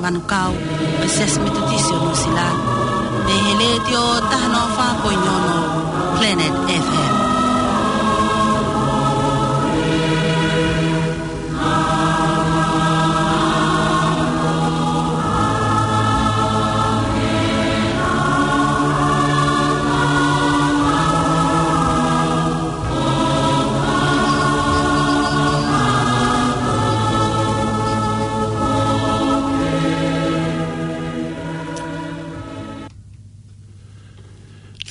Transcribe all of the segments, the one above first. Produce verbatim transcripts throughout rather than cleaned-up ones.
Manukau, ʻo e Siasi Metotisi ʻo Nuʻusila, mei he Letiō taha noa fā poini ono Planet F M.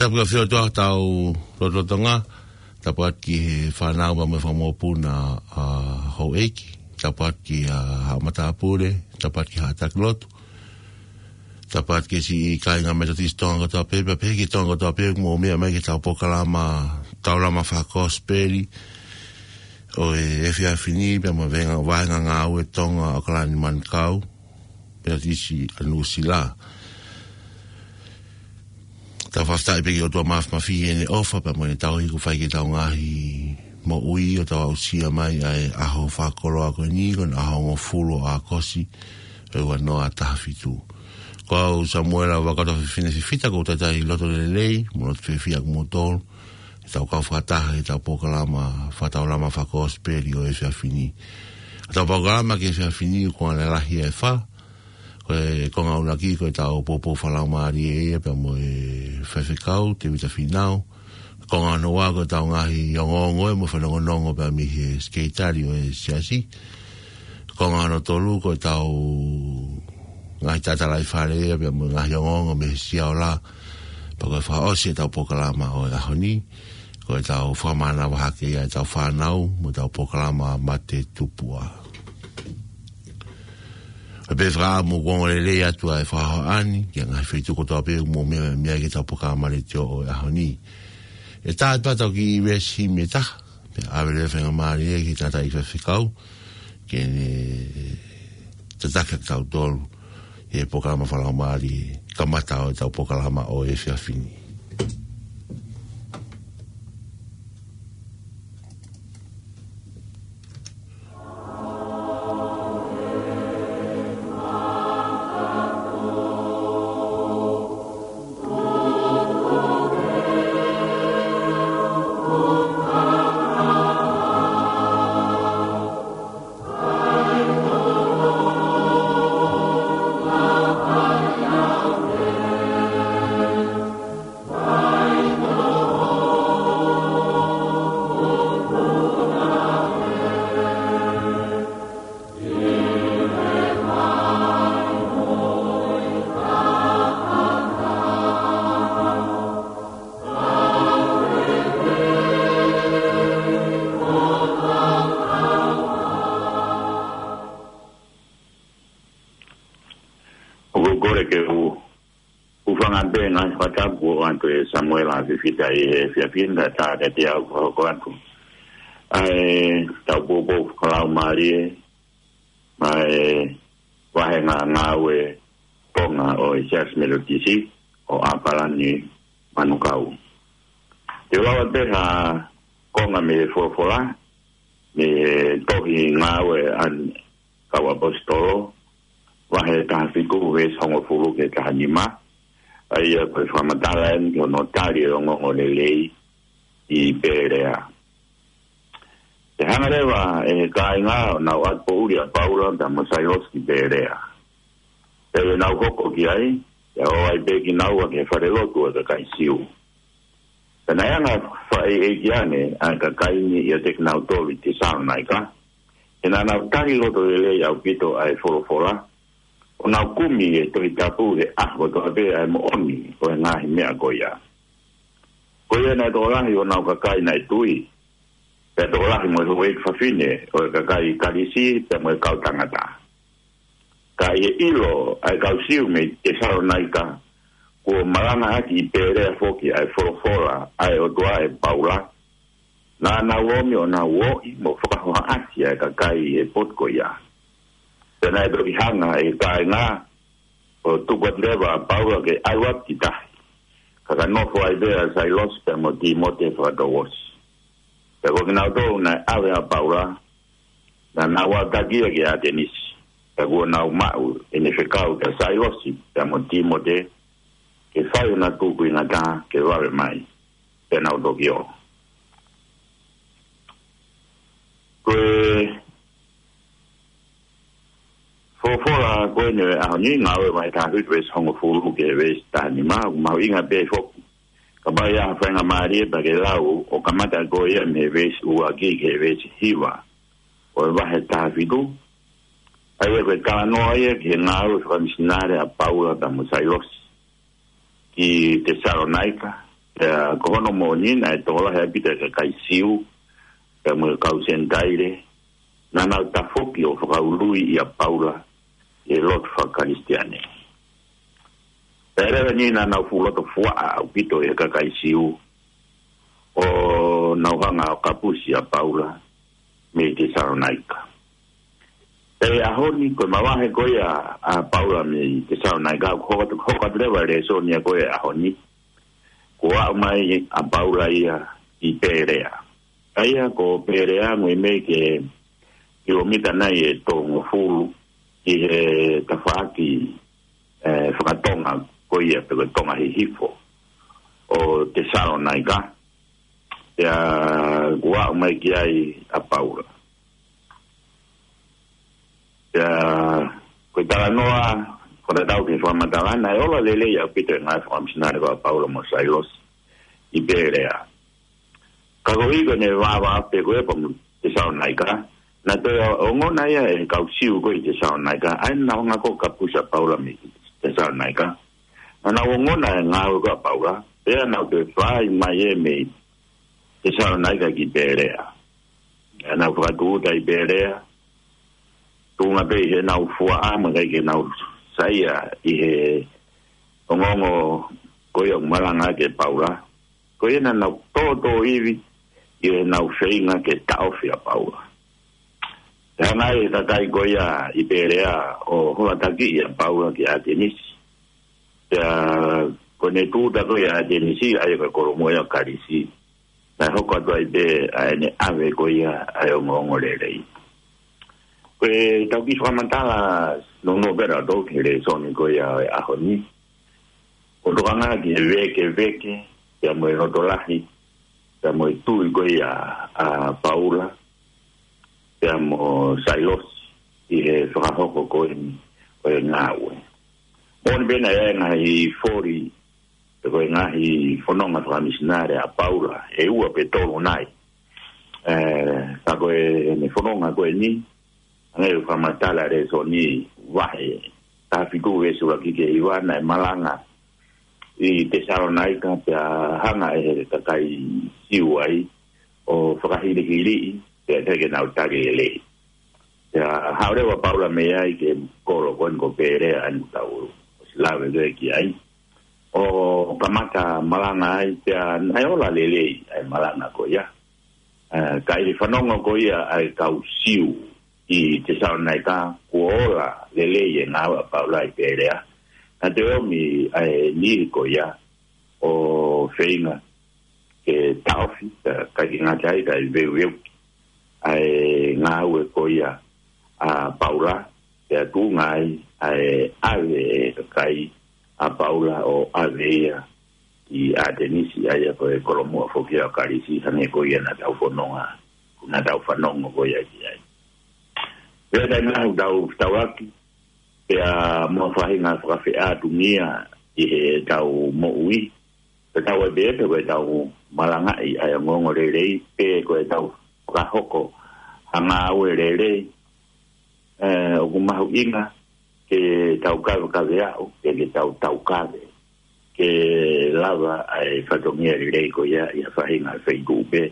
Tapu ki he ʻOtua ʻi hotau lotolotonga, tapu atu ki he fānau mo e fanga mokopuna ʻa houʻeiki, tapu atu ki he haʻa matāpule, tapu atu ki he haʻa taki lotu, tapu atu ki he siʻi kāinga Metotisi Tonga kotoa pē, pea pehē ki he Tonga kotoa pē, mou meʻa mai ki heʻetau polokalama, tau lama fakakosipeli ʻo e efiafi ni, pea mo e vahenga, vahenga ngāue Tonga ʻAokalani Manukau, Metotisi ʻa Nuʻusila. Tau fakafetaʻi pē ki he ʻOtua Māfimafi ʻi heʻene ʻofa, pea mo ʻene tauhi kuo fai ki heʻetau ngaahi moʻui, ʻo tau aʻusia mai ʻa e ʻaho fakakoloa ko eni, ko e ʻaho hongofulu ʻo ʻAokosi, ʻo e ua noa taha fitu. Ko au Samuela Vakatofefine Fifita, ʻoku ou talitali loto lelei mo loto fiefia kimoutolu ʻi heʻetau kau fakataha ʻi heʻetau polokalama fakataulama fakakosipeli ʻo e efiafi ni. ʻEtau polokalama ki he efiafi ni ʻoku konga lalahi ʻe fā. Ko e konga ʻuluaki ko ʻetau poupou fakalaumālie ia pea mo e faifekau Tēvita Fīnau. Konga hono ua ko ʻetau ngaahi ongoongo mo e fanongonongo pea mei he sekelitali ʻo e siasi. Konga hono tolu ko ʻetau ngaahi tatalaifale ia pea mo e ngaahi ongoongo mei he Sia Ola. Pea ko e fakaʻosi ʻetau polokalama ʻo e ʻaho ni, ko ʻetau fakamānava hake ia ʻetau fānau mo ʻetau polokalama Mate Tupua. ʻOku ou fakaʻamu ke ongo lelei atu ʻa e fakahohaʻa ni ki he ngaahi feituʻu kotoa pē ʻoku mou meʻa mai ki heʻetau polokalama letiō ʻo e ʻaho ni. ʻE tā atu pē ʻetau kiʻi veesi himi ʻe taha, pea ʻave leva e faingamālie ki he tangataʻeiki faifekau ke ne tataki kitautolu ʻi he polokalama fakalaumālie kamata ʻo ʻetau polokalama ʻo e efiafi ni. ʻOku ou kole ke u hūfanga pē he ngaahi fakatapu ʻoku ʻoatu ʻe Samuela Fifita ʻi he efiafi ni, kae ʻatā kiate au ke u hoko atu ʻa ʻetau poupou fakalaumālie maʻa e vahenga ngāue Tonga ʻo e Siasi Metotisi ʻo ʻAokalani Manukau. Te u lau atu pē ha konga mei he folofola, mei he tohi Ngāue ʻa e Kau ʻAposetolo, vahe taha fitu, veesi hongofulu ki he taha nima, ʻa ia ko e fakamatala eni ki hono tali ʻo e ongoongolelei ʻi Pēlea. Pea hanga leva ʻe he kāinga ʻo nau ʻatu poʻuli ʻa Paula pea mo Sailosi ki Pēlea. Pea ʻi heʻenau hoko ki ai, pea ō ai pē kinaua ki he falelotu ʻo e kakai Siu. Pea naʻe anga fakaʻeiʻeiki ange ʻa e kakai ni ʻiate kinautolu ʻi Tesalonaika, he naʻa nau tali loto lelei ʻaupito ʻa e folofola, ʻo nau kumi ʻi he Tohi Tapu he ʻaho kotoa pē ʻa e moʻoni ʻo e ngaahi meʻa ko ia. Ko ia naʻe tokolahi honau kakai naʻe tui, pea tokolahi mo e houʻeiki fafine ʻo e kakai Kalisi pea mo e kau tangata. Ka ʻi he ʻilo ʻa e kau Siu mei Tesalonaika kuo malangaʻaki ʻi Pēlea foki ʻa e folofola ʻa e ʻOtua ʻe Paula, naʻa nau omi ʻo nau ō mo fakahohaʻasi ʻa e kakai ʻi he potu ko ia. Pea naʻe toki hanga ʻe he kāinga ʻo tuku atu leva ʻa Paula ke ʻalu atu ki tahi, ka ka nofo ai pē ʻa Sailosi pea mo Tīmote he fakatouʻosi. Pea ko kinautolu naʻe ʻave ʻa Paula, naʻa nau ʻalu atu ia ki ʻAtenisi. Pea kuo nau maʻu ʻene fekau kia Sailosi pea mo Timote ke fai ʻena tukuingataʻa ke vave mai, pea nau toki ō. Ko e folofola ko eni ʻo e ʻaho ni, Ngāue vahe taha fitu veesi hongofulu ki he veesi taha nima, ʻoku mahuʻinga pē foki kapau ʻe ʻi ai ha faingamālie pea ke lau ʻo kamata ko ia mei he veesi ua ki he veesi hiva ʻo e vahe taha fitu. ʻA ia ko e talanoa ia ki he ngāue fakamisinale ʻa Paula pea mo Sailosi ki Tesalonaika. Pea ko hono moʻoni naʻe tokolahi ʻaupito e kakai Siu pea mo e kau Senitaile naʻa nau tafoki ʻo fakaului ʻia Paula ʻi he lotu faka-Kalisitiane. Pea leva ni naʻa nau fuʻu loto fuaʻa ʻaupito ʻi he kakai Siu ʻo nau hanga ʻo kapusi ʻa Paula mei Tesalonaika. Pea ʻi he ʻaho ni, ko e mavahe ko ia ʻa Paula mei Tesalonaika, ʻoku hoko atu, hoko atu leva e lēsoni ia ko ia ʻaho ni. Kuo aʻu mai ʻa Paula ia ʻi Pelea. ʻA ia ko Pelea ʻoku ʻi ai mei he kilomita nai ʻe tolungofulu ʻi he tafaʻaki, ē, fakatonga ko ia pe ko e tonga hihifo ʻo Tesalonaika. Pea kuo aʻu mai ki ai ʻa Paula. Pea ko e talanoa, ko e tatau ki he fakamatala, naʻe ola lelei ʻaupito e ngāue fakamisinale ko ia ʻa Paula mo Sailosi ʻi Pelea. Ka koeʻuhi ko ʻene vāvāofi pē ko ia pea mo Tesalonaika, naʻe toe ongona ia ʻe he kau Siu ko ia ʻi Tesalonaika, ʻa ia naʻa nau hanga ʻo kapusi ʻa Paula mei Tesalonaika. Naʻa nau ongona e ngāue ko ia ʻa Paula, pea nau toe fai mai ē mei Tesalonaika ki Pelea. Naʻa nau fakatūʻuta ʻi Pelea, tuʻunga pē ʻi heʻenau fuaʻa, mo e ʻikai ke nau saiʻia ʻi he ongoongo ko ia ʻoku malanga ki ai ʻa Paula. Ko ia naʻa nau tōtōivi ʻi heʻenau feinga ke taʻofi ʻa Paula. Pea hanga ʻe he kakai ko ia ʻi Pelea ʻo hola takiʻi ʻa Paula ki ʻAtenisi. Pea ko ʻene tūʻuta ko ia ʻi ʻAtenisi, ʻa ia ko e kolomuʻa ia ʻo Kalisi, naʻe hoko atu ai pē ʻa ʻene ʻave ko ia ʻa e ongoongo lelei. Ko ʻetau kiʻi fakamatala nounou pē ʻa tautolu ki he lēsoni ko ia ʻo e ʻaho ni, ʻoku tokanga ki he vēkeveke pea mo e loto lahi pea mo e tui ko ia ʻa Paula pea mo Sailosi ʻi he fakahoko ko eni ʻo e ngāue. Moʻoni pē naʻe ʻi ai e ngaahi foli, pe ko e ngaahi fononga fakamisinale ʻa Paula, ʻe ua pe tolu nai. Ē, ka ko ʻene fononga ko eni, hangē ko e fakamatala e lēsoni, vahe taha fitu veesi ʻuluaki ki he hiva, naʻe malanga ʻi Tesalonaika pea hanga ʻe he kakai Siu ai ʻo fakahilihiliʻi, pea ʻikai ke nau tali lelei. Pea haʻu leva ʻa Paula mei ai ki he kolo ko eni ko Pelea ʻa eni ʻoku tau ʻosi lave ki ai. ʻO kamata malanga ai, pea naʻe ola lelei ʻa e malanga ko ia. Ē, ka ʻi he fanongo ko ia ʻa e kau Siu ʻi Tesalonaika kuo ola lelei e ngāue ʻa Paula ʻi Pelea, naʻa nau ʻomi ʻa e niʻihi ko ia ʻo feinga ke taʻofi, ē, ʻikai ke ngata ai, kae veuveuki ʻa e ngāue ko ia ʻa Paula, pea tuʻunga ai ʻa e ʻave ʻe he kakai ʻa Paula ʻo ʻave ia ki ʻAtenisi, ʻa ia ko e kolomuʻa foki ia ʻo Kalisi, hangē ko ia naʻa tau fononga, naʻa tau fanongo ko ia ki ai. Pea taimi lahi ʻoku tau fetaulaki, pea mo e faʻahinga fakafeʻātungia ʻi heʻetau moʻui, pe tau ʻai pē pe ko ʻetau malangaʻi ʻa e ongoongo lelei, pe ko ʻetau fakahoko ha ngāue lelei, ē, ʻoku mahuʻinga ke tau kavekave aʻu, ke, ke tau taukave, ke lava ʻa e fatongia lelei ko ia ʻi ha faʻahinga feituʻu pē,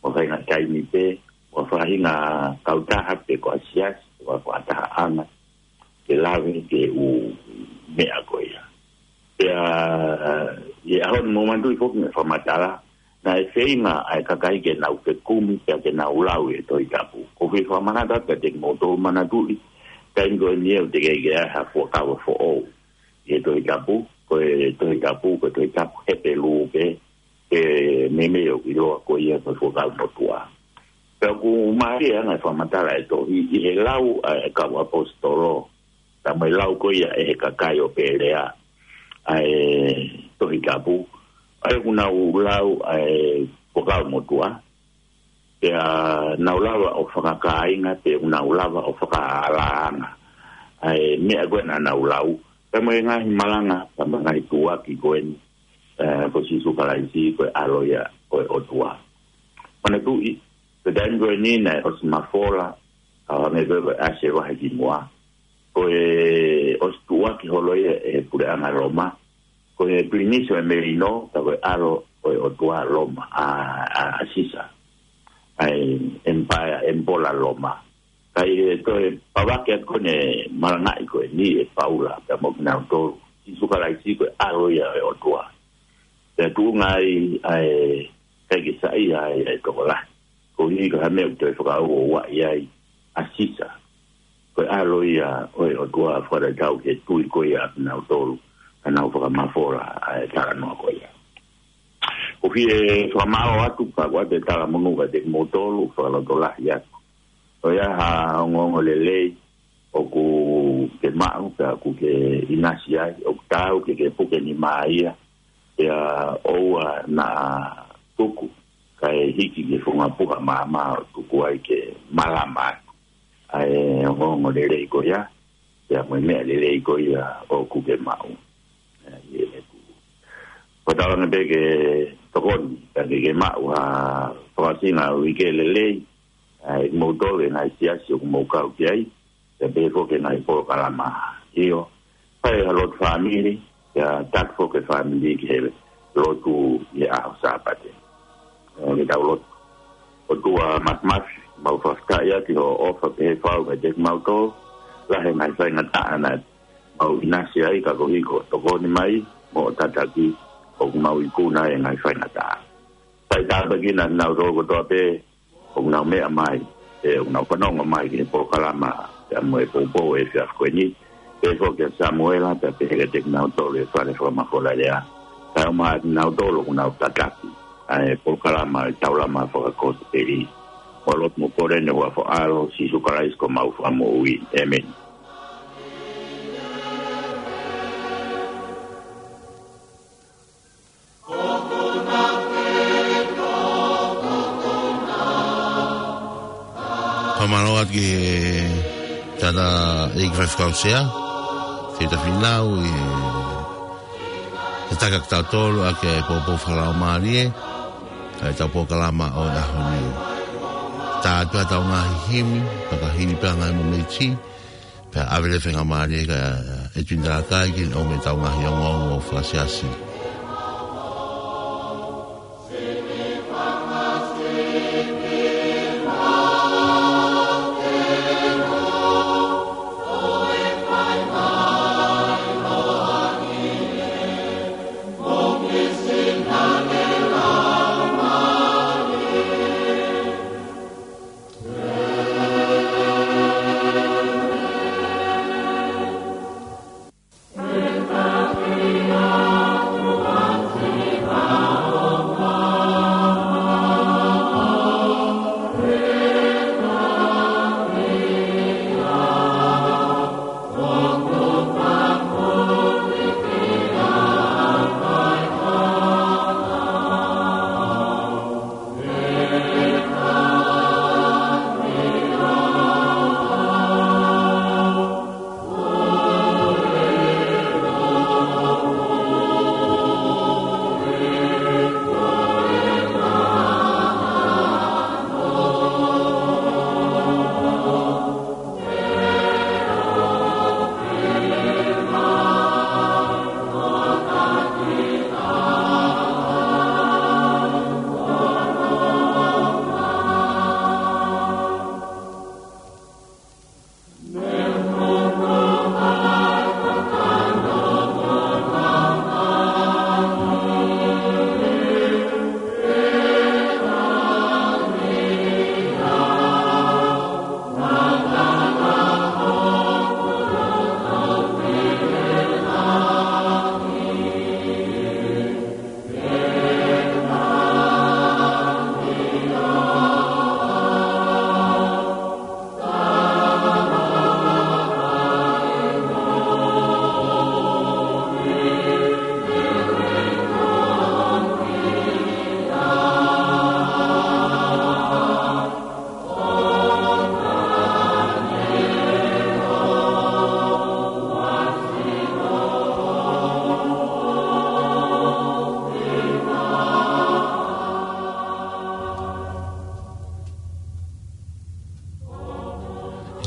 mo ha faʻahinga taimi pē, mo ha faʻahinga kautaha pe ko ha siasi, pe ko ha fakatahaʻanga, ke lave ki he ʻū meʻa ko ia. Pea ʻi he ʻaho ni mou manatuʻi foki e fakamatala, naʻe feinga ʻa e kakai ke nau fekumi pea ke nau lau e Tohi Tapu. ʻOku ou fie fakamanatu atu kiate kimoutolu, manatuʻi, taimi ko eni ʻoku teʻeki ke ʻi ai ha fuakava foʻou ʻi he Tohi Tapu, ko e Tohi Tapu, ko e Tohi Tapu Hepelū pē, ʻe meimei ʻoku ʻiloa ko ia ko e Fuakava Motuʻa. Pea ʻoku mālie ʻa e fakamatala ʻa e tohi ʻi he lau ʻa e kau ʻaposetolo, pea mo e lau ko ia ʻe he kakai ʻo Pēlea ʻa e Tohi Tapu, ʻa ia ʻoku nau lau ʻa e Fuakava Motuʻa, pea nau lava ʻo fakakāinga, pea ʻoku nau lava ʻo fakaʻalaʻala ange ʻa e meʻa ko ē naʻa nau lau, pea mo e ngaahi malanga, pea mo e ngaahi tuʻuaki ko eni, ē, ko Sīsū Kalaisi ko e ʻAlo ia ʻo e ʻOtua. Manatuʻi, ko e taimi ko eni naʻe ʻosi mafola, ʻo hangē ko e, ko e ʻasi e vahe kimuʻa, ko e ʻosi tuʻuaki holo ia ʻe he puleʻanga Loma, ko e Pilinisi ʻo e Melino, ka ko e ʻAlo ʻo e ʻOtua Loma, ʻa, ʻa, ʻa Sisa, ʻa e ʻemipaea, ʻemipola Loma. Ka ʻi he toe pavake atu ko eni e malangaʻi ko eni ʻe Paula pea mo kinautolu, Sīsū Kalaisi ko e ʻAlo ia ʻo e ʻOtua. Pea tuʻunga ai ʻa e, ʻikai ke saiʻia ai ʻa e tokolahi, koeʻuhi ko e hā e meʻa ʻoku toe fakaʻuʻuaʻi ai ʻa Sisa ko e ʻAlo ia ʻo e ʻOtua, fakatatau ki he tui ko ia ʻa kinautolu naʻa nau fakamafola ʻa e talanoa ko ia. ʻOku ou fie fakamālō atu, pea ʻoatu e talamonū kiate kimoutolu, fakalotolahi atu. ʻOku ʻi ai ha ongoongolelei ʻoku ke maʻu, pea ʻoku ke ʻinasi ai, ʻoku taau ke ke puke nima ia, pea ʻoua naʻa tuku kae hiki ki he funga puha maama ʻo tuku ai ke malama atu ʻa e ongoongolelei ko ia, pea mo e meʻa lelei ko ia ʻoku ke maʻu. ʻE, ʻi heʻeku fakatauange pē ke tokoni, pea ke ke maʻu ha fakaʻosinga uike lelei, ʻa e moutolu e ngaahi siasi ʻoku mou kau ki ai, pea pehē foki e ngaahi polokalama. ʻIo, fai ha lotu fāmili, pea taki foki e fāmili ki he lotu ʻi he ʻaho Sāpate. ʻE, ke tau lotu. ʻOtua Māfimafi, mau fakafetaʻi atu ki hoʻo ʻofa pehē fau kiate kimautolu, lahi e ngaahi faingataʻa naʻa mau ʻinasi ai, ka koeʻuhi ko hoʻo tokoni mai mo hoʻo tataki, ʻoku mau ikuna ai e ngaahi faingataʻa. Fai tāpuekina kinautolu kotoa pē ʻoku nau meʻa mai, ʻe, ʻoku nau fanongo mai ki he polokalama, pea mo e poupou ʻo e efiafi ko eni, pehē foki kia Samuela, pea pehē kiate kinautolu ʻi he fale fakamafola lea. Kae ʻumaʻā kinautolu ʻoku nau tataki ʻa e polokalama ʻo e Taulama Fakakosipeli. Mau lotu mo kole ʻi he huafa ʻo ho ʻAlo, Sīsū Kalaisi ko homau Fakamoʻui. ʻĒmeni. Fakamālō atu ki he tangataʻeiki faifekau sea, Tēvita Fīnau, ʻi he tataki kitautolu ʻaki e poupou fakalaumālie ʻa ʻetau polokalama ʻo e ʻaho ni. Tā atu ʻetau ngaahi himi, fakahili pē ʻa e ngaahi momeniti, pea ʻave leva e faingamālie kia ʻEtuini Talakai ke ne ʻomai ʻetau ngaahi ongoongo fakasiasi.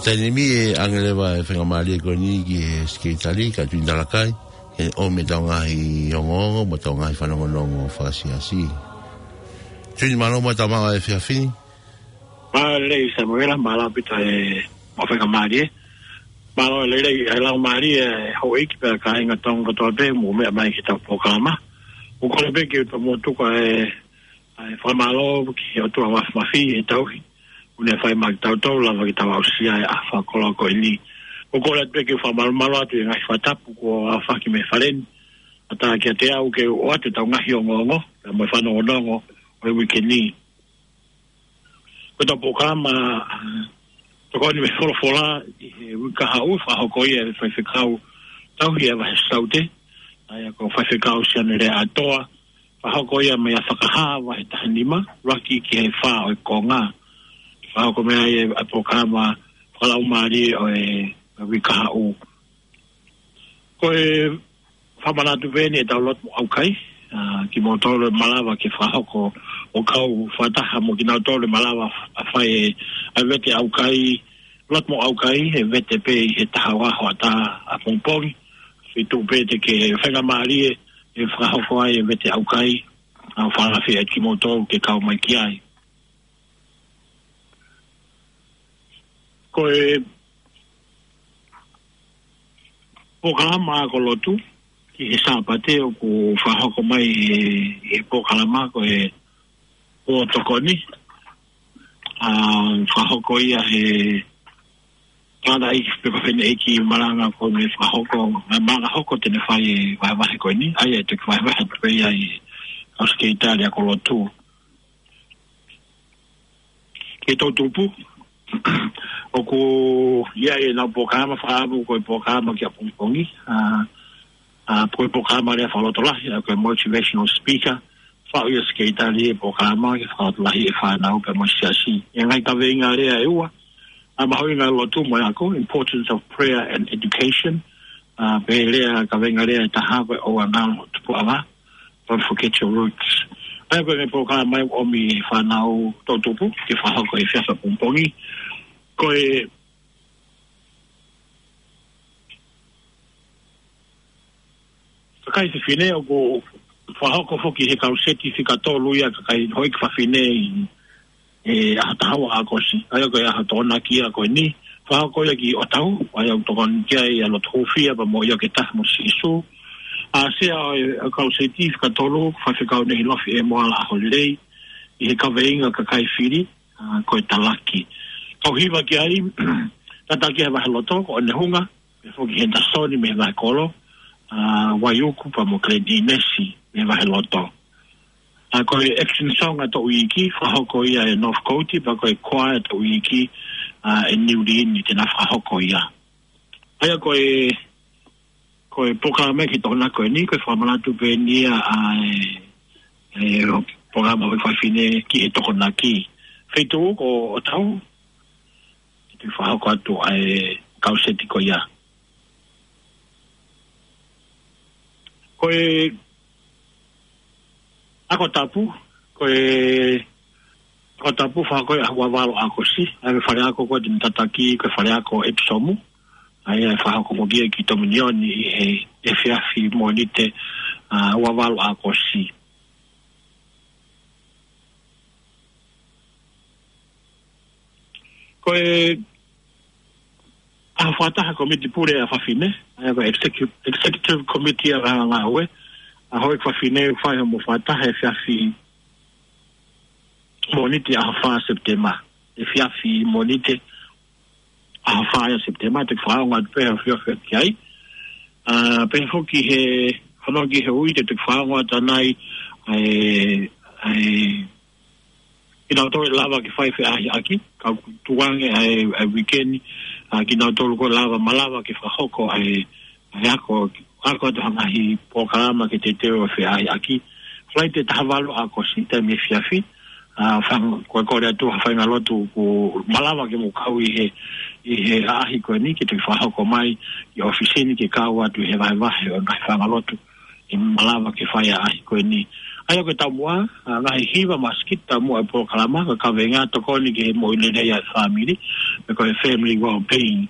Taimi ni ʻe ʻange leva e faingamālie ko eni ki he Sekelitali, Katuini Talakai, ke ʻomi ʻetau ngaahi ongoongo, mo ʻetau ngaahi fanongonongo fakasiasi. Tuini, mālō mo e tau maʻu e efiafi ni. Mālō lelei Samuela, mālō ʻaupito e mo faingamālie. Mālō lelei e laumālie e houʻeiki pea kāinga Tonga kotoa pē, mou meʻa mai ki heʻetau polokalama. ʻOku ou kole pē ke u tomuʻa tuku e ʻa e fakamālō ki he ʻOtua Māfimafi he tauhi ʻoku ne fai maʻa kitautolu, lava ke tau aʻusia e ʻaho fakakoloa ko eni. ʻOku ou kole atu pē ke u fakamalumalu atu e ngaahi fakatapu kuo aofaki mei he fale ni, ʻatā kiate au ke u ʻoatu ʻetau ngaahi ongoongo, pea mo e fanongonongo ʻo e uike ni. Ko ʻetau polokalama, ʻa, tokoni mei he folofola ʻi he uike kahaʻu, fakahoko ia ʻe he faifekau tauhi ʻa e Vahe Saute, ʻa ia ko Faifekau Sione Leaʻatoa, fakahoko ia mei he Fakahā vahe taha nima, ʻuluaki ki he fā ʻo e konga. Fakahoko mei ai e, ʻa e polokalama fakalaumālie ʻo e, ʻa e uike kahaʻu. Ko e fakamanatu pē eni ʻetau lotu mo ʻaukai, ʻa, kimoutolu ʻe malava ke fakahoko ʻo kau fakataha mo kinautolu ʻe malava ʻa fai e, ʻa e vete ʻaukai, lotu mo ʻaukai, ʻe vete pē ʻi he taha ua hoʻatā ʻapongipongi. Feituʻu pē te ke faingamālie ʻe fakahoko ai e vete ʻaukai, ʻa, fakalafi ʻa kimoutolu ke kau mai ki ai. Ko e polokalama ako lotu ki he Sāpate ʻoku fakahoko mai he, he polokalama ko e pō tokoni. ʻA, fakahoko ia he tangataʻeiki pe ko e fineʻeiki malanga ko eni fakahoko, ʻa, malanga hoko te ne fai e vahevahe ko eni, ʻa ia ʻe toki vahevahe atu pē ia ʻi he kau Sekelitali ako lotu. Ki he toʻutupu, ʻoku ʻi ai ʻenau polokalama fakaʻamu ko e polokalama ki ʻapongipongi, ʻa, ʻa, ko e polokalama lea fakalotolahi, ʻa, ko e motivational speaker, faʻu ia ʻe he Sekelitali e polokalama ke fakalotolahi e fānau pea mo e siasi. ʻI he ngaahi kaveinga lea ʻe ua, ʻa, mahuʻinga lotu mo e ako, importance of prayer and education, ʻa, pea lea kaveinga lea ʻe taha ko e ʻoua naʻa tupuʻanga, don't forget your roots. ʻA ia ko e polokalama ʻoku ʻomi e fānau toʻutupu ke fakahoko he efiafi ʻapongipongi. Ko e kakai fefine ʻoku fakahoko foki he kau seti fika tolu ia kakai houʻeiki fafine ʻi he ʻaho taha ua ʻo ʻAokosi, ʻa ia ko e ʻaho Tokonaki ia ko eni, fakahoko ia ki ʻOtahu, ʻa ia ʻoku tokoni ki ai ʻa Lotohūfia pea mo ʻIo ke Taha mo Sīsū. ʻA, sea ʻo e, ʻa e kau seti fika tolu, Faifekau Nehilofi ʻEmoala ʻAholelei, ʻi he kaveinga kakai fili, ʻa, ko e talaki. Kau hiva ki ai, tataki he vahe loto, ko ʻOnehunga, pea foki Henderson mei he vahe kolo, ʻa, Vaiuku pea mo Glen Innes mei he vahe loto. ʻA, ko e action song ʻa e toʻu iiki, fakahoko ia ʻe North Coast, pea ko e choir ʻa e toʻu iiki, ʻa, ʻe Niu Liini te na fakahoko ia. ʻA ia ko e, ko e polokalama ki Tokonaki ko eni, ko e fakamanatu pē eni ia ʻa e, e polokalama houʻeiki fafine ki he Tokonaki. Feituʻu ko ʻOtahu, ʻe toki fakahoko atu ʻa e kau seti ko ia. Ko e ako tapu, ko e ako tapu fakahoko ia he ua valu ʻo ʻAokosi, ʻa e fale ako ko eni te ne tataki, ko e fale ako ʻEpisomu, ʻa ia ʻe fakahoko foki ia ki Tominioni ʻi he efiafi Mōnite, ʻa, ua valu ʻo ʻAokosi. Ko e ʻaho fakataha Kōmiti Pule ʻa Fafine, ʻa ia ko e execu-, executive committee ʻa e ngāue ʻa e houʻeiki fafine, fai hono fakataha he efiafi Mōnite ʻaho fā Sepitema. Efiafi Mōnite ʻaho fā ia Sepitema, te u fakaongo atu pē ʻa e fiofio ki ai. ʻA, pea foki he, hano ki he ui, te u fakaongo atu ʻanai, ʻa e, ʻa e, kinautolu ʻe lava ke fai feʻahiʻaki, ka ʻoku tuʻu ange ʻa e, ʻa e weekend, ʻa, kinautolu ko ē ʻe lava, malava ke fakahoko ʻa e, ʻa e ako, ako atu ha ngaahi polokalama ke teuteu e feʻahiʻaki. Falaite taha valu ʻo ʻAokosi, taimi efiafi, ʻa, fanga-, ko e kole atu ha faʻahinga lotu ʻoku malava ke mou kau ʻi he, ʻi he ʻaʻahi ko eni ke toki fakahoko mai ʻi ʻōfisi ni ke kau atu ʻi he vahevahe ʻo e ngaahi faʻahinga lotu ʻe malava ke fai ʻaʻahi ko eni. ʻA ia ko e taumuʻa, ʻa, ngaahi hiva mo e sikiti taumuʻa e polokalama, ko e kaveinga tokoni ki he moʻui lelei ʻa e fāmili, pe ko e family well-being.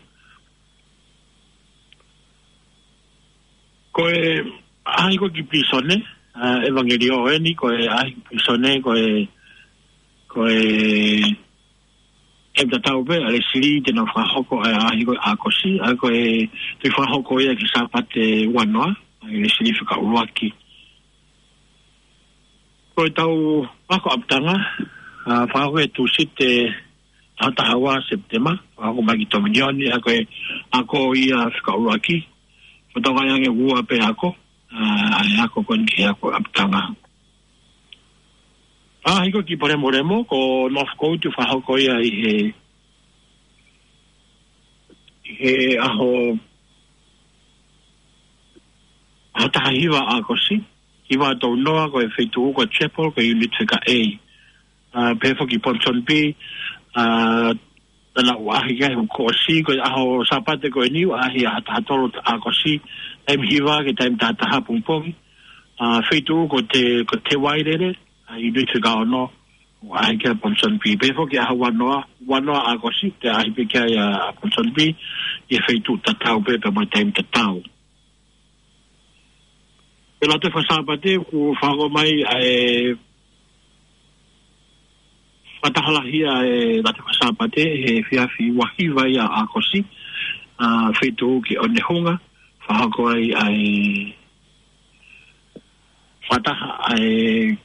Ko e ʻaʻahi ko ē ki pilīsone, ʻa, ʻevangeliō eni, ko e ʻaʻahi ki pilīsone, ko e, ko e taimi tatau pē, ʻa Lesili te nau fakahoko ʻa e ʻaʻahi ko ē ʻi ʻAokosi, ʻa ia ko e, te fakahoko ia ki he Sāpate ua noa, ʻa Lesili fika ʻuluaki. Ko e tau ako ʻapitanga, ʻa, fakahoko he Tūsite taha taha ua Sepitema, fakahoko mai ki Tominioni, ʻa ia ko e ako ia fika ʻuluaki, ko e tau ngaahi ange ua pē ako, ʻa, ʻa e ako ko eni ki he ako ʻapitanga. ʻAʻahi ko ē ki Palemolemo, ko Northcote fakahoko ia ʻi he, ʻi he ʻaho, ʻaho taha hiva ʻAokosi, hiva tolu noa ko e feituʻu ko e Chapel, ko e unit fika A. ʻA, pehē foki Ponsonby, ʻa, naʻa nau ʻaʻahi ki ai he kuo ʻosi, ko e ʻaho Sāpate ko eni, ʻaʻahi ʻaho taha tolu ʻAokosi, taimi hiva ki he taimi taha taha pongipongi. ʻA, feituʻu ko Te, ko Te Wairere, ʻa, unit fika ono, ʻaʻahi ki ai Ponsonby. Pehē foki ʻaho ua noa, ua noa ʻAokosi, te ʻaʻahi pē ki ai ʻa, ʻa Ponsonby, ʻi he feituʻu tatau pē, pea mo e taimi tatau. Ko e Lātū Fakasāpate, kuo fakahoko mai ʻa e fakataha lahi ʻa e Lātū Fakasāpate he efiafi ua hiva ia ʻAokosi, ʻa, feituʻu ki ʻOnehunga, fakahoko ai ʻa e fakataha, ʻa e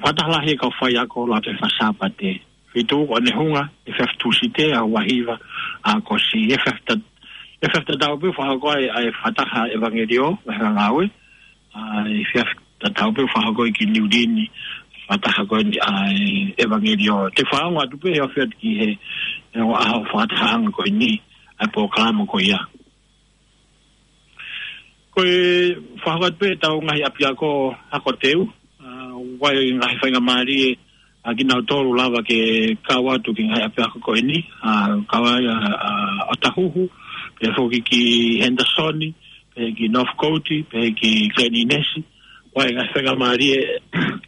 fakataha lahi e kau faiako Lātū Fakasāpate. Feituʻu ko ʻOnehunga, efiafi Tūsite ʻaho ua hiva ʻAokosi. Efiafi ta-, efiafi tatau pē fakahoko ai ʻa e fakataha ʻevangeliō, mo e ngāue. ʻA, efiafi tatau pē fakahoko ai ki Niu Lini, fakataha ko eni ʻa e ʻevangeliō. Te u fakaongo atu pē he ofi atu ki he, he ongo ʻaho fakatahaʻanga ko eni, ʻa e polokalama ko ia. Ko e fakahoko atu pē ʻetau ngaahi ʻapiako ako teu, ʻa, ʻoku ʻi ai e ngaahi faingamālie, ʻa, kinautolu lava ke kau atu ki he ngaahi ʻapiako ko eni, ʻa, kau ai, ʻa, ʻa, ʻOtahuhu, pehē foki ki Henderson, pehē ki Northcote, pehē ki Glen Innes, ʻoku ʻi ai e ngaahi faingamālie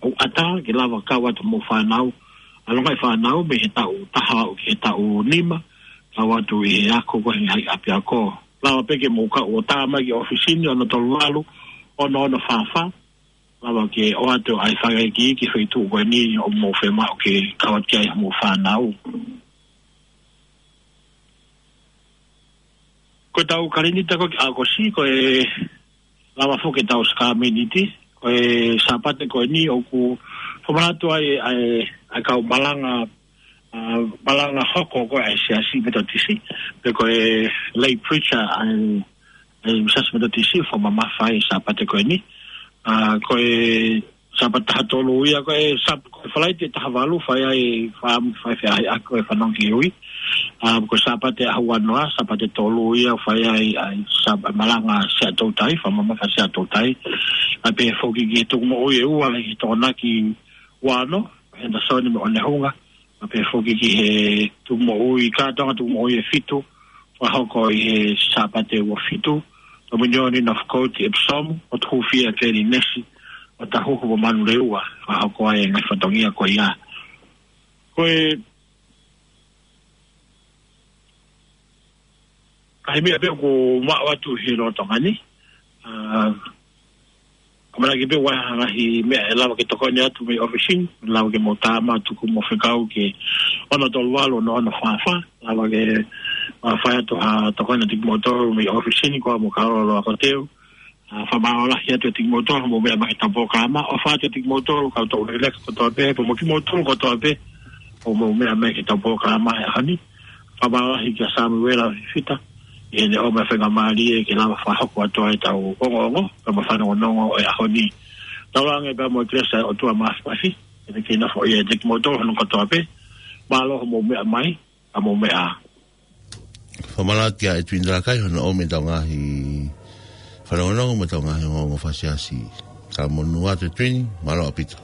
ʻoku ʻatā ke lava kau atu mo e fānau, ʻa, ʻa e ngaahi fānau mei he taʻu taha aʻu ki he taʻu nima, kau atu ʻi he ako ko ē he ngaahi ʻapiako. Lava pē ke mou kau ʻo tā mai ki he ʻōfisi ni ono tolu valu, ono ono fā fā, lava ke ʻoatu ʻa e fakaikiiki ki he feituʻu ko eni ʻoku mou fiemaʻu ke kau atu ki ai mo e fānau. Ko ʻetau kalenita ko ē ki ʻAokosi, ko e lava foki ʻetau sākalamēniti, ko e Sāpate ko eni ʻoku fakamanatu ai ʻa e, ʻa e kau malanga, ʻa, malanga hoko ko ē ʻa e Siasi Metotisi, pe ko e lay preacher ʻa e, ʻa e Siasi Metotisi, fakamamafa ai e Sāpate ko eni. ʻA, ko e Sāpate taha tolu ia, ko e Sāp-, ko e Falaite taha valu, fai ai, fa-, fai feʻaʻahiʻaki ko e fanongo ki he ui. ʻA, ko e Sāpate ʻaho ua noa, Sāpate tolu ia, fai ai, ʻa e Sāp-, malanga Sea Toutai, fakamamafa Sea Toutai. ʻA, pehē foki ki he tukumoʻui ʻe ua, ki Tokonaki ua ono, Henderson mo ʻOnehunga. ʻA, pehē foki ki he tukumoʻui, kātoanga tukumoʻui ʻe fitu, fakahoko ʻi he Sāpate ua fitu, Tominioni, Northcote, Epsom, ʻOtu Hūfia, Glen Innes, ʻOtahuhu mo Manurewa, fakahoko ai e ngaahi fatongia ko ia. Ko e ngaahi meʻa pē ʻoku maʻu atu he lolotonga ni. ʻA, ʻamanaki pē ʻoku ʻi ai ha ngaahi meʻa ʻe lava ke tokoni atu mei he ʻōfisi ni, lava ke mou tā mai tuku mo fekau ki he ono tolu valu ono ono fā fā, lava ke, ʻa, fai atu ha tokoni atu kimoutolu mei he ʻōfisi ni, ko ia mou kau loloa ko teu. ʻA, fakamālō lahi atu kiate kimoutolu hoʻomou meʻa mai ki heʻetau polokalama, ʻofa atu kiate kimoutolu kau tau leleka kotoa pē, pea mo kimoutolu kotoa pē hoʻomou meʻa mai ki heʻetau polokalama he ʻaho ni. Fakamālō lahi kia Samuela Fifita, ʻi heʻene ʻomai e faingamālie ke lava fakahoko atu ai ʻetau ongoongo, pea mo e fanongonongo ʻo e ʻaho ni. Tauange pea mo e kelesi ʻa e ʻOtua Māfimafi, ke ne kei nofo ʻiate kimoutolu hono kotoa pē, mālō hoʻomou meʻa mai, ʻa mou meʻa. Fakamālō atu kia Edwin Talakai, hono ʻomi ʻetau ngaahi fanongonongo mo ʻetau ngaahi ongoongo faka-Siasi. Talamonū atu Edwin, mālō ʻaupito.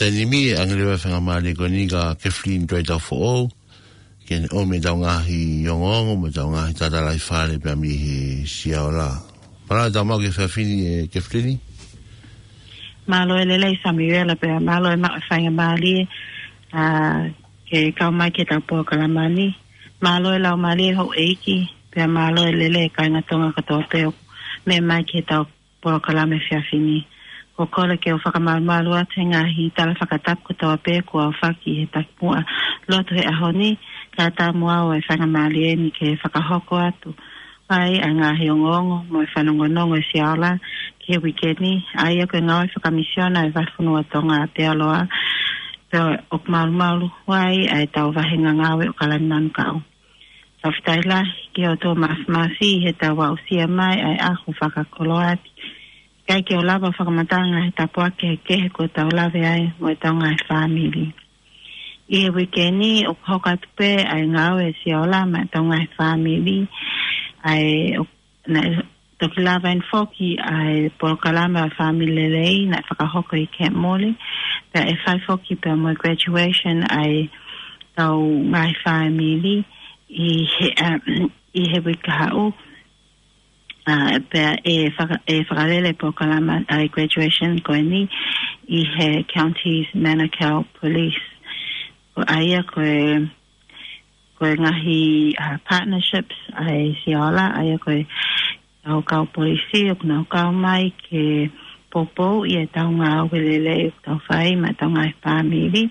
Taimi ni ʻe ʻange leva e faingamālie ko eni kia Kathleen Tuaitaufoʻou ke ne ʻomi ʻetau ngaahi ongoongo mo ʻetau ngaahi tatalaifale pea mei he Siaola. Mālō e tau maʻu ki he efiafi ni, ʻe Kathleen. Mālō e lelei Samuela pea mālō e maʻu e faingamālie, ā, ke kau mai ki heʻetau polokalama ni. Mālō e laumālie houʻeiki, pea mālō e lelei kāinga Tonga kotoa pē ʻoku meʻa mai ki heʻetau polokalama efiafi ni. Ko e kole ke u fakamalumalu atu he ngaahi tala fakatapu kotoa pē kuo aofaki he takimuʻa lotu he ʻaho ni, kae ʻatā mo au e faingamālie ni ke fakahoko atu ai ʻa e ngaahi ongoongo mo e fanongonongo ʻa e Siaola ki he uike ni, ʻa ia ko e ngāue fakamisiona ʻa e Vāhenga Fonua Tonga ʻa Aotearoa, pea ʻoku malumalu ai ʻa ʻetau vāhenga ngāue ʻo Kalani Manukau. Fakafetaʻi lahi ki he ʻOtua Māfimafi ʻi heʻetau aʻusia mai ʻa e ʻaho fakakoloa ni. ʻIkai ke u lava ʻo fakamatala e ngaahi tāpuaki kehekehe kuo tau lave ai mo ʻetau ngaahi fāmili. ʻI he uike ni ʻoku hoko atu pē ʻa e ngāue ʻa e Siaola maʻa ʻetau ngaahi fāmili, ʻa ia ʻoku, naʻe toki lava eni foki ʻa e polokalama Fāmili Lelei naʻe fakahoko ʻi Camp Morley, pea ʻe fai foki pea mo e graduation ʻa ʻetau ngaahi fāmili ʻi he, ā, ʻi he uike kahaʻu. Ā, pea ʻe faka-, ʻe fakalele e polokalama ʻa e graduation ko eni ʻi he Counties Manukau Police. Ko ia ko e, ko e ngaahi, ā, partnerships ʻa e Siaola, ʻa ia ko e ʻetau kau polisi ʻoku nau kau mai ke poupouʻi ʻetau ngāue lelei ʻoku tau fai maʻa ʻetau ngaahi fāmili.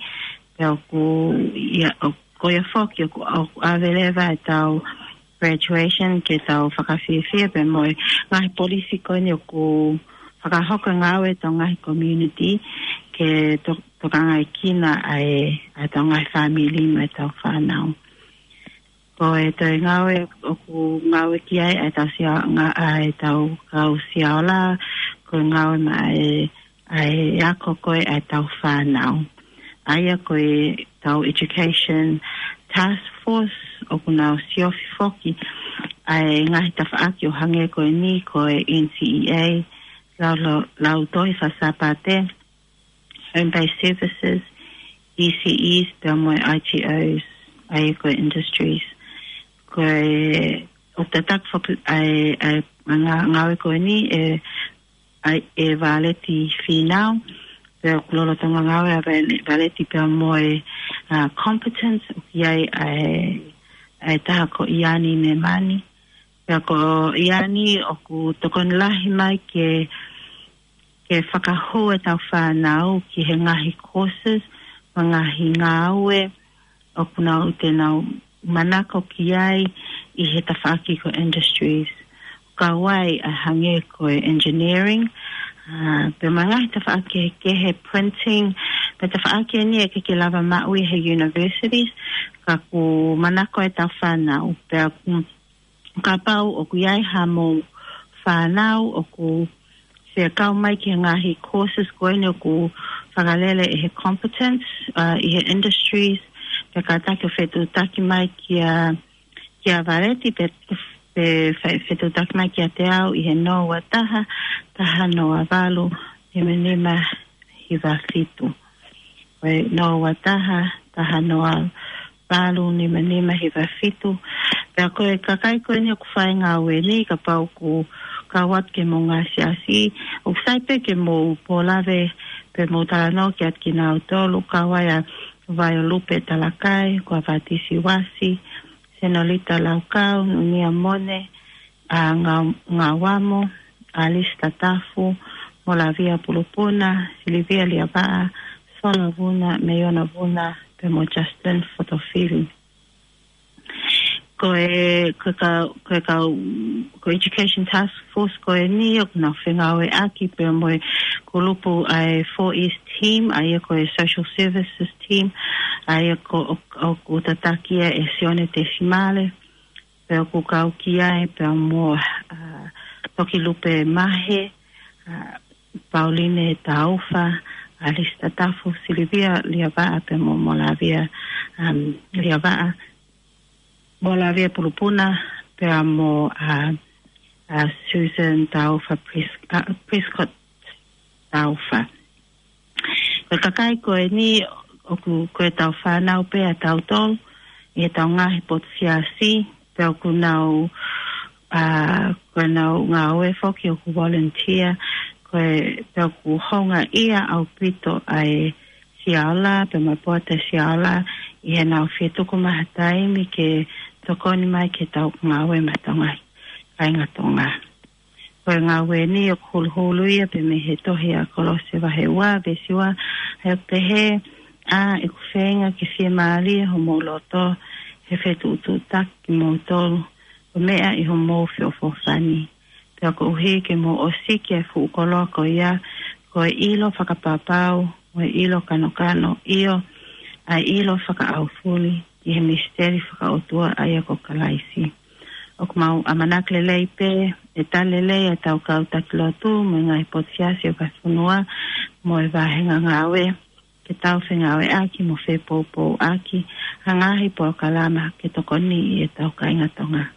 Pea ʻoku, ia, ʻo, ko ia foki ʻoku, ʻoku ʻave leva ʻetau graduation ke tau fakafiefia pea mo e ngaahi polisi ko eni ʻoku fakahoko e ngāue ʻetau ngaahi community ke to-, tokangaʻi kinaua ʻa e, ʻa ʻetau ngaahi fāmili mo ʻetau fānau. Ko e toe ngāue ʻoku ngāue ki ai ʻa ʻetau Sia-, ngā-, ʻa ʻetau kau Siaola, ko e ngāue maʻa e, ʻa e ako ko ē ʻa ʻetau fānau. ʻA ia ko ʻetau Education Task Force ʻoku nau siofi foki ʻa e ngaahi tafaʻaki ʻo hangē ko eni ko e N C E A, lau, lau, lautohi faka-Sāpate, home-based services, E C Es, pea mo e I T Os, ʻa ia ko e industries. Ko e ʻoku tataki foki ʻa e, ʻa e ngā-, ngāue ko eni ʻe, ʻa e, ʻe Valeti Fīnau, pea ʻoku lolotonga ngāue ʻa Vale-, Valeti pea mo e, ā, competence, ʻoku ʻi ai ʻa e, ʻa e taha ko ʻIani Nemani. Pea ko ʻIani ʻoku tokoni lahi mai ke, ke fakahū ʻetau fānau ki he ngaahi courses, mo e ngaahi ngāue ʻoku nau, te nau manako ki ai ʻi he tafaʻaki ko e industries. Kau ai ʻa e hangē ko e engineering, ā, pea mo e ngaahi tafaʻaki kehekehe, printing, pea tafaʻaki eni ʻe ʻikai ke lava maʻu ʻi he universities, ka ʻoku manako ʻetau fānau, pea ʻoku kapau ʻoku ʻi ai hamou fānau ʻoku fie kau mai ki he ngaahi courses ko eni ʻoku fakalele ʻe he competence, ā, ʻi he industries, pea kātaki ʻo fetuʻutaki mai kia, kia Valeti, pe, pe fe-, fetuʻutaki mai kiate au ʻi he noa ua taha, taha noa valu, nima nima hiva fitu. Ko e noa ua taha, taha noa valu, nima nima hiva fitu. Pea ko e kakai ko eni ʻoku fai e ngāue ni, kapau ʻoku kau atu ke mou ngāsiasi, ʻoku sai pē ke mou pōlave, pe mou talanoa ki ai kinautolu, kau ai ʻa Vaiolupe Talakai, ko ʻAvatisi Uasi, Senolita Laukau, Nunia Mone, ʻa Nga-, Ngauamo, ʻAlisi Tatafu, Molavia Pulupuna, Silivia Liavaʻa, Sola Vuna, Meiona Vuna, pea mo Justin Fotofili. Ko e, ko e ka-, ko e kau, ko e Education Task Force ko eni ʻoku nau fengāueʻaki pea mo e kulupu ʻa e Four E's team, ʻa ia ko e Social Services team, ʻa ia ko, ʻo, ʻoku tataki ia ʻe Sione Tesimale, pea ʻoku kau ki ai pea mo, ā, Tokilupe Mahe, ā, Pauline Taufa, ʻAlisi Tatafu, Silivia Liavaʻa pea mo Molavia, um, Liavaʻa, Molavia Pulupuna, pea mo, ā, ā, Susan Taufa Pres-, ā, Prescott Taufa. Ko e kakai ko eni ʻoku, ko e tau fānau pē ʻa tautolu ʻi he tau ngaahi potu siasi, pea ʻoku nau, ʻa, ko e nau ngāue foki ʻoku volunteer, ko e, pea ʻoku houngaʻia ʻaupito ʻa e Sia Ola, pea mo e Poate Sia Ola, ʻi he nau fie tuku mai ha taimi ke tokoni mai ke tau ngāue maʻa e tau ngaahi kāinga Tonga. Ko e ngāue ni ʻoku huluhulu ia pē mei he tohi ʻa Kolose vahe ua, veesi ua, ʻa ia ʻoku pehē, ʻa ʻeku feinga ke fiemālie homou loto, he fetuʻutuʻutaki kimoutolu, ko e meʻa ʻi homou feʻofoʻofani. Pea koeʻuhi ke mou ʻosiki ʻa e fuʻu koloa ko ia, ko e ʻilo fakapapau, mo e ʻilo kanokano, ʻio, ʻa e ʻilo fakaʻaufuli, ʻi he misiteli fakaʻotua ʻa ia ko Kalaisi. ʻOku mau ʻamanaki lelei pē, ʻe tali lelei ʻa e tau kau taki lotu, mo e ngaahi potu siasi ʻo e vahefonua, mo e vāhenga ngāue, ke tau fengāueʻaki mo fepoupouʻaki, ha ngaahi polokalama ke tokoni ʻi he tau kāinga Tonga.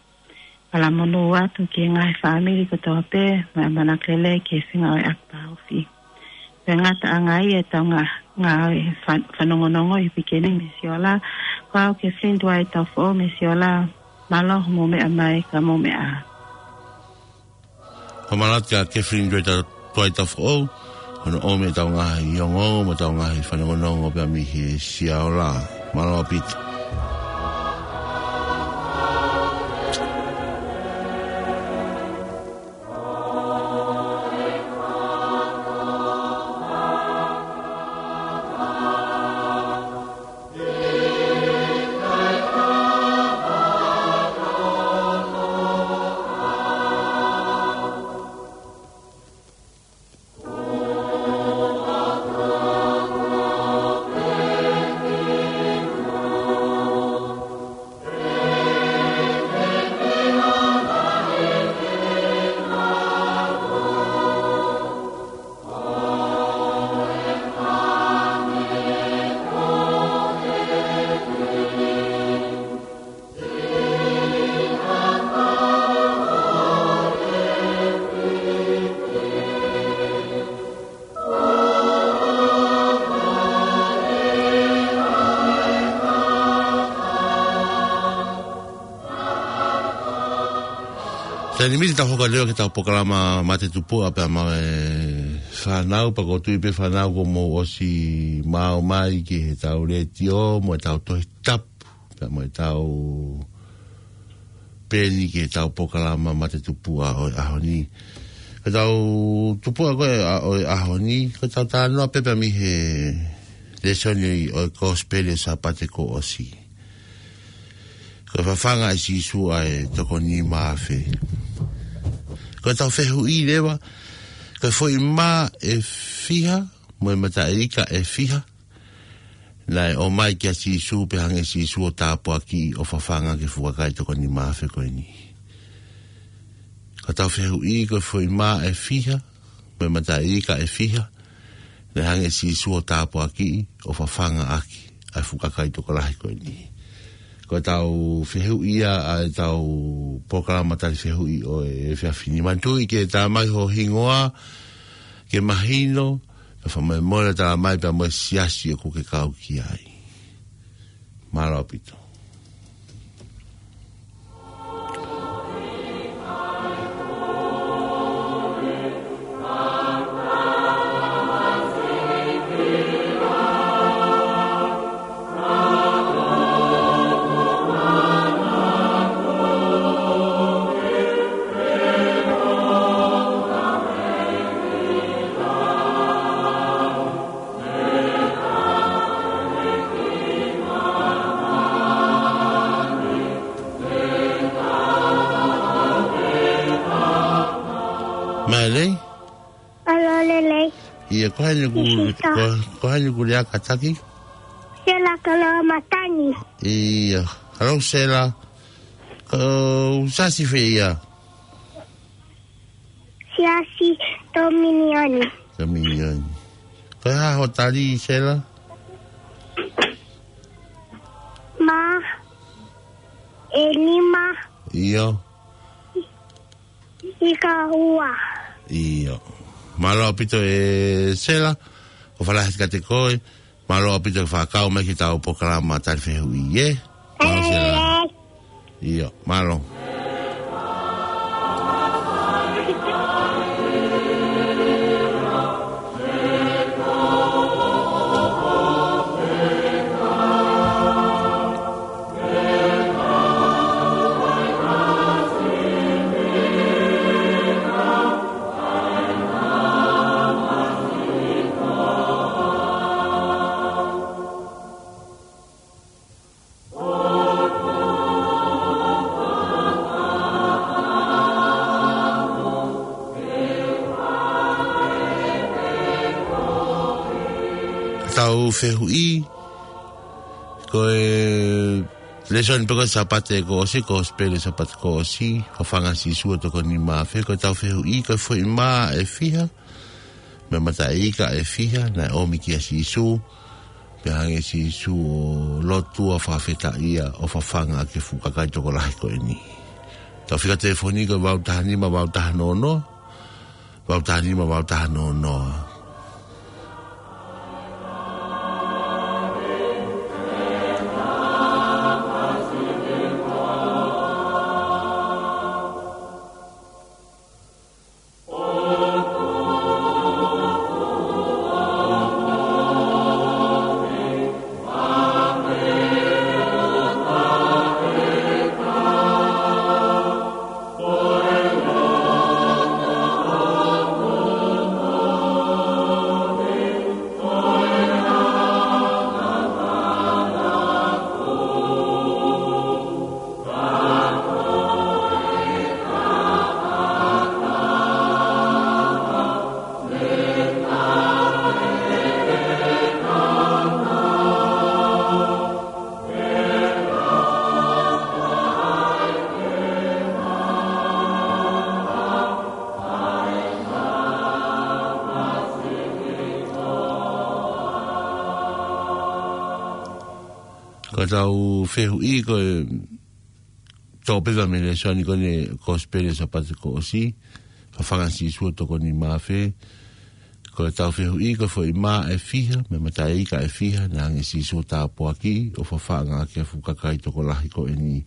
Fakamonū atu ki he ngaahi fāmili kotoa pē, mo e ʻamanaki lelei ke fengāueʻaki pāofi. Pea ngataʻanga ia ʻetau ngā, ngā fa-, fanongonongo ʻi he pikeni mei Siola, ko au Kathleen Dwight Tafoʻou mei Siola, mālō hoʻomou meʻa mai ka mou meʻa. Ko e mālō atu kia Kathleen Dwight, Dwight Tafoʻou, hono ʻomi ʻetau ngaahi ongoongo, mo ʻetau ngaahi fanongonongo pea mei he Siola. Mālō ʻaupito. Taimi ni tau hoko atu ki heʻetau polokalama Mate Tupuʻa pea mo e fānau, pea ʻoku ou tui pē fānau kuo mou ʻosi maʻu mai ki heʻetau letiō, mo ʻetau Tohi Tapu, pea mo ʻetau peni ki heʻetau polokalama Mate Tupuʻa ʻo e ʻaho ni. Ko ʻetau tupuʻa ko ē ʻa, ʻo e ʻaho ni, ko ʻetau talanoa pē pea mei he lēsoni ʻo e Kosipeli ʻo e Sāpate kuo ʻosi. Ko e fafanga ʻe Sīsū ʻa e toko nima afe. Ko ʻetau fehuʻi leva, ko e foʻi mā ʻe fiha, mo e mataʻi ika ʻe fiha naʻe ʻomai kia Sīsū pea hanga ʻe Sīsū ʻo tāpuakiʻi ʻo fafanga ki he fuʻu kakai toko nima afe ko eni. Ko ʻetau fehuʻi, ko e foʻi mā ʻe fiha, mo e mataʻi ika ʻe fiha naʻe hanga ʻe Sīsū ʻo tāpuakiʻi ʻo fafanga ʻaki ʻa e fuʻu kakai tokolahi ko eni. Ko ʻetau fehuʻi ia ʻa ʻetau polokalama tali fehuʻi ʻo e efiafi ni. Manatuʻi ke tā mai ho hingoa, ke mahino, ke fakamolemole, tā mai pea mo e siasi ʻoku ke kau ki ai. Mālō ʻaupito. Mālō. Mālō lelei. ʻIo, ko hai ʻoku, Sika. Ko, ko hai ʻoku lea kātaki? Sela Kaloamatangi. ʻIo. Hello, Sela. Ko e siasi fē ia? Siasi Tominioni. Tominioni. Ko e hā hoʻo tali, Sela? Mā ʻe nima. ʻIo. Ika ua. ʻIo. Mālō ʻaupito ē Sela. ʻOfa lahi atu kiate koe, mālō ʻaupito e fakakau mai ki heʻetau polokalama tali fehuʻi, ē? Mālō Sela. ʻIo, mālō. Tau fehuʻi, ko e lēsoni pē ko e Sāpate kuo ʻosi, Kosipeli Sāpate kuo ʻosi, Fafanga Sīsū ʻo tokoni mā fē, ko ʻetau fehuʻi, ko e foʻi mā ʻe fiha, mo e mataʻi ika ʻe fiha, naʻe ʻomi kia Sīsū, pea hanga ʻe Sīsū ʻo lotua, fakafetaʻia, ʻo fafanga ʻaki e fuʻu kakai tokolahi ko eni. Tau fika telefoni ko e valu taha nima, valu taha noa noa, valu taha nima, valu taha noa noa. Ko ʻetau fehuʻi ko e toʻo pē mei he lēsoni ko eni, Kosipeli Sāpate kuo ʻosi, Fafanga Sīsū ʻo tokoni mā fē. Ko ʻetau fehuʻi, ko e foʻi mā ʻe fiha, mo e mataʻi ika ʻe fiha, naʻe hanga ʻe Sīsū ʻo tāpuakiʻi, ʻo fafanga ʻaki e fuʻu kakai tokolahi ko eni.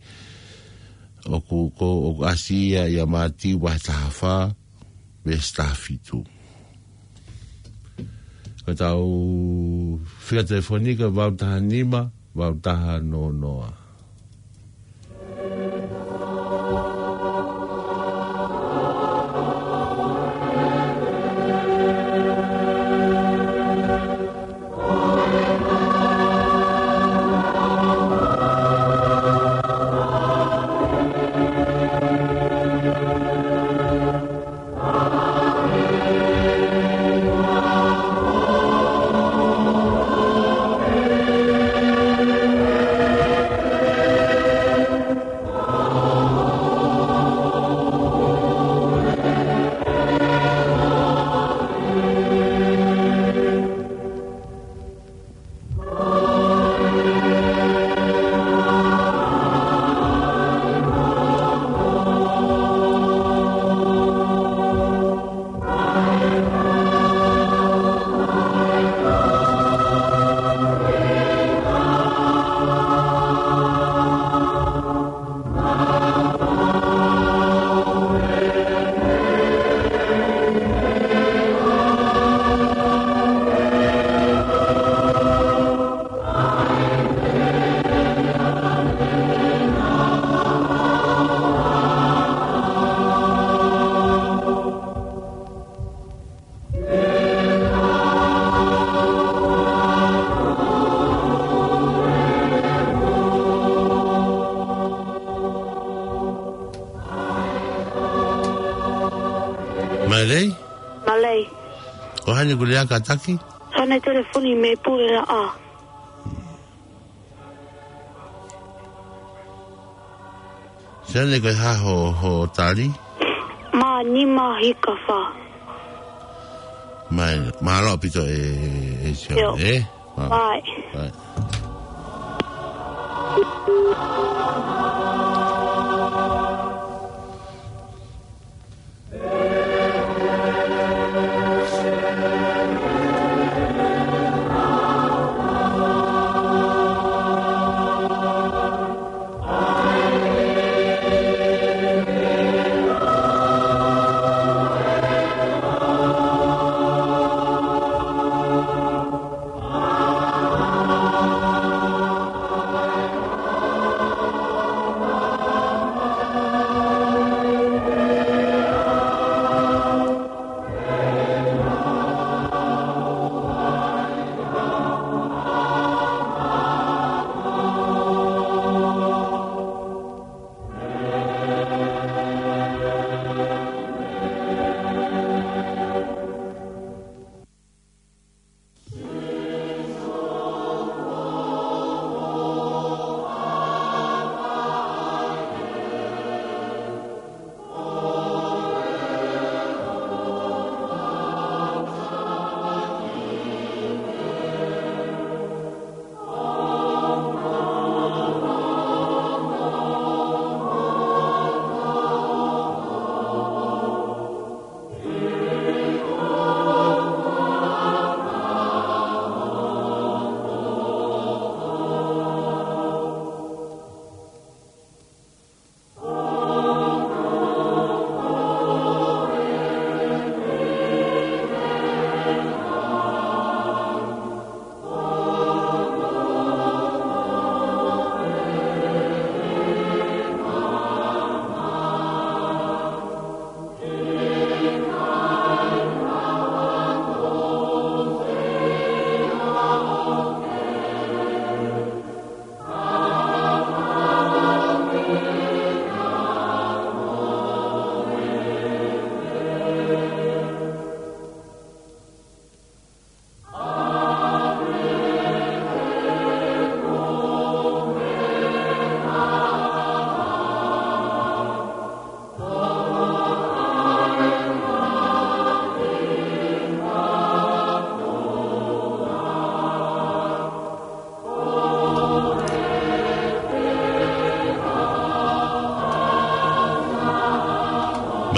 ʻOku, ko, ʻoku ʻasi ia ʻia Mātiu vahe taha fā, veesi taha fitu. Ko ʻetau fika telefoni ko e valu taha nima, valu taha noa noa. Mālō. Mālō. Ko hai ʻoku lea kātaki? Sone telefoni mei Pulelaʻā. Sone, ko e hā hoʻo, hoʻo tali? Mā nima hika fā. Mālō, mālō ʻaupito e, e Sone, ʻio. ʻE? Mālō. Bye. Bye.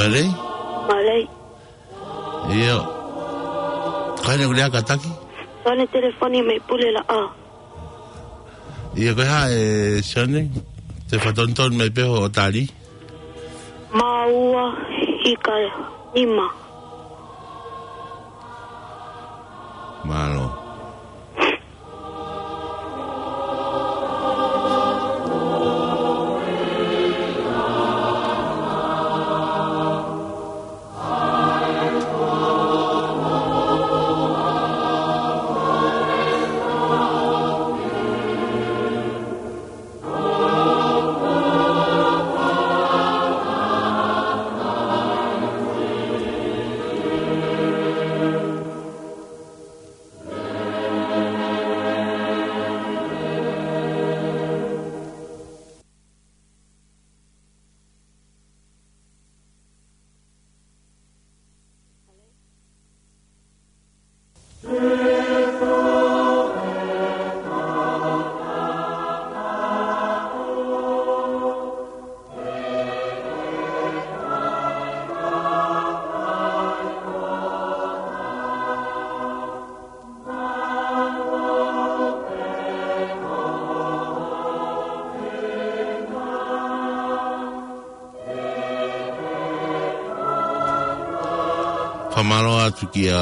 Mālō. Mālō. ʻIo. Ko hai ʻoku lea kātaki? Sione Telefoni mei Pulelaʻā. ʻIo, ko e hā ē Sione? Te u fakatonutonu mai pē hoʻo tali. Mā ua ika nima. Mālō. Fakamālō atu kia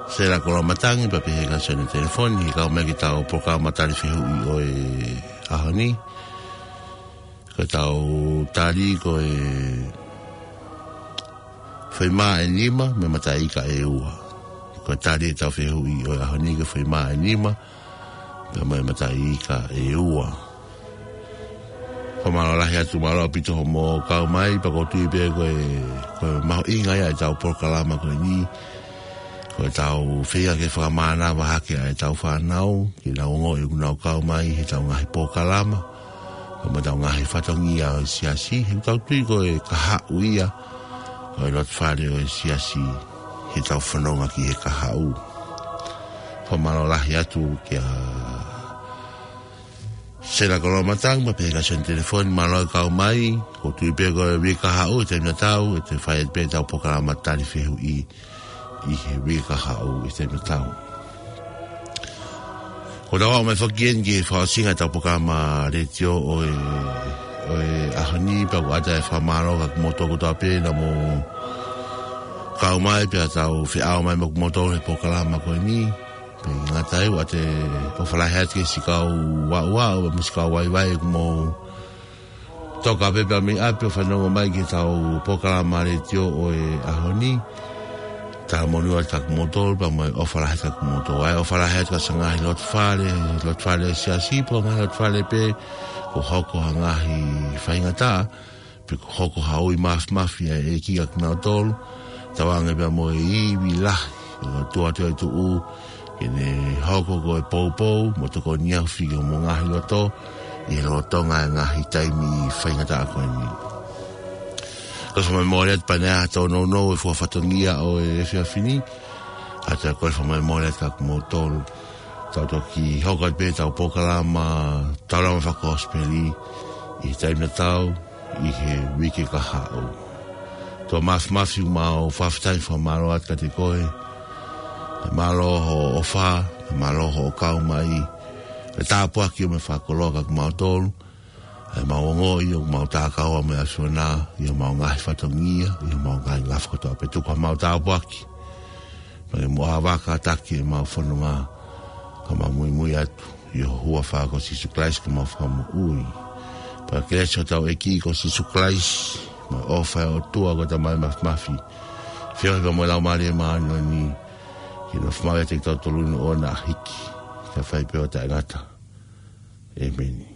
Sela Koloamatangi, pea pehē kia Sione Telefoni, he kau mai ki heʻetau polokalama tali fehuʻi ʻo e ʻaho ni. Ko ʻetau tali ko e foʻi mā ʻe nima mo e mataʻi ika ʻe ua. Ko e tali ʻetau fehuʻi ʻo e ʻaho ni ko e foʻi mā ʻe nima pea mo e mataʻi ika ʻe ua. Fakamālō lahi atu, mālō ʻaupito hoʻomou kau mai, pea ʻoku ou tui pē ko e, ko e mahuʻinga ia ʻetau polokalama ko eni. Ko ʻetau feinga ke fakamānava hake ʻa ʻetau fānau, ke nau ongoʻi ʻoku nau kau mai heʻetau ngaahi polokalama, pea mo ʻetau ngaahi fatongia ʻo e siasi, he ʻoku tau tui ko e kahaʻu ia ʻo e loto fale ʻo e siasi, heʻetau fononga ki he kahaʻu. Fakamālō lahi atu kia Sela Koloamatangi, pea pehē kia Sione Telefoni, mālō e kau mai, ʻoku ou tui pē ko e uike kahaʻu, ʻi he taimi tatau, ʻe toe fai pē ʻetau polokalama tali fehuʻi ʻi he uike kahaʻu, ʻi he taimi tatau. ʻOku tau aʻu mai foki eni ki he fakaʻosinga ʻetau polokalama letiō ʻo e, ʻo e ʻaho ni, pea ʻoku ʻatā e fakamālō kiate kimoutolu kotoa pē naʻa mou kau mai, pea tau feʻao mai mo kimoutolu he polokalama ko eni. Pea ʻikai ngata ai, ʻoku ʻatā e ʻofa lahi atu ki he siʻi kau aʻuaʻu, mo e siʻi kau vaivai ʻoku mou toka pē pea mei ʻapi ʻo fanongo mai ki heʻetau polokalama letiō ʻo e ʻaho ni. Talamonū atu kiate kimoutolu, pea mo e ʻofa lahi atu kiate kimoutolu. ʻA e ʻofa lahi atu ki he siʻi ngaahi loto fale, loto fale siasi, pea mo e ngaahi loto fale pē, kuo hoko ha ngaahi faingataʻa, pe kuo hoko ha ui māfimafi ʻa e ʻEiki kiate kinautolu, tauange pea mo e ivi lahi ʻo e ʻOtua Toetuʻu, ke ne hoko ko e poupou mo tokoni ʻaupito ki homou ngaahi loto, ʻi he lolotonga e ngaahi taimi faingataʻa ko eni. Ko e fakamālō atu pea ne ʻatā e nounou e fua fatongia ʻo e efiafi ni, ʻatā ko e fakamālō atu kiate kimoutolu. Tau toki hoko atu pē ʻetau polokalama, tau lama fakakosipeli, ʻi he taimi tatau, ʻi he uike kahaʻu. Tau māfimafi, mau fakafetaʻi, fakamālō atu kiate koe. Mālō hoʻo ʻofa, mālō hoʻo kau mai. Ke tāpuaki ʻo e fakakoloa kiate kimautolu. ʻA e mau ongoʻi ʻoku mau tākaua mo e ʻAfiona, ʻi homau ngaahi fatongia, ʻi homau ngaahi ngafa kotoa pē, tuku haʻamau tāpuaki. Pea ke muʻa vaka taki ʻemau fononga, ka mau muimui atu ʻi ho huafa ko Sīsū Kalaisi ko homau Fakamoʻui. Pea ko e kelesi ʻa hotau ʻEiki ko Sīsū Kalaisi, mo e ʻofa ʻa e ʻOtua ko e Tamai Māfimafi, feohi pea mo e Laumālie Māʻoniʻoni, ke nofo maʻu ʻiate kitautolu ʻo aʻu ki he hiki, kae fai pē ʻo taʻengata. ʻĒmeni.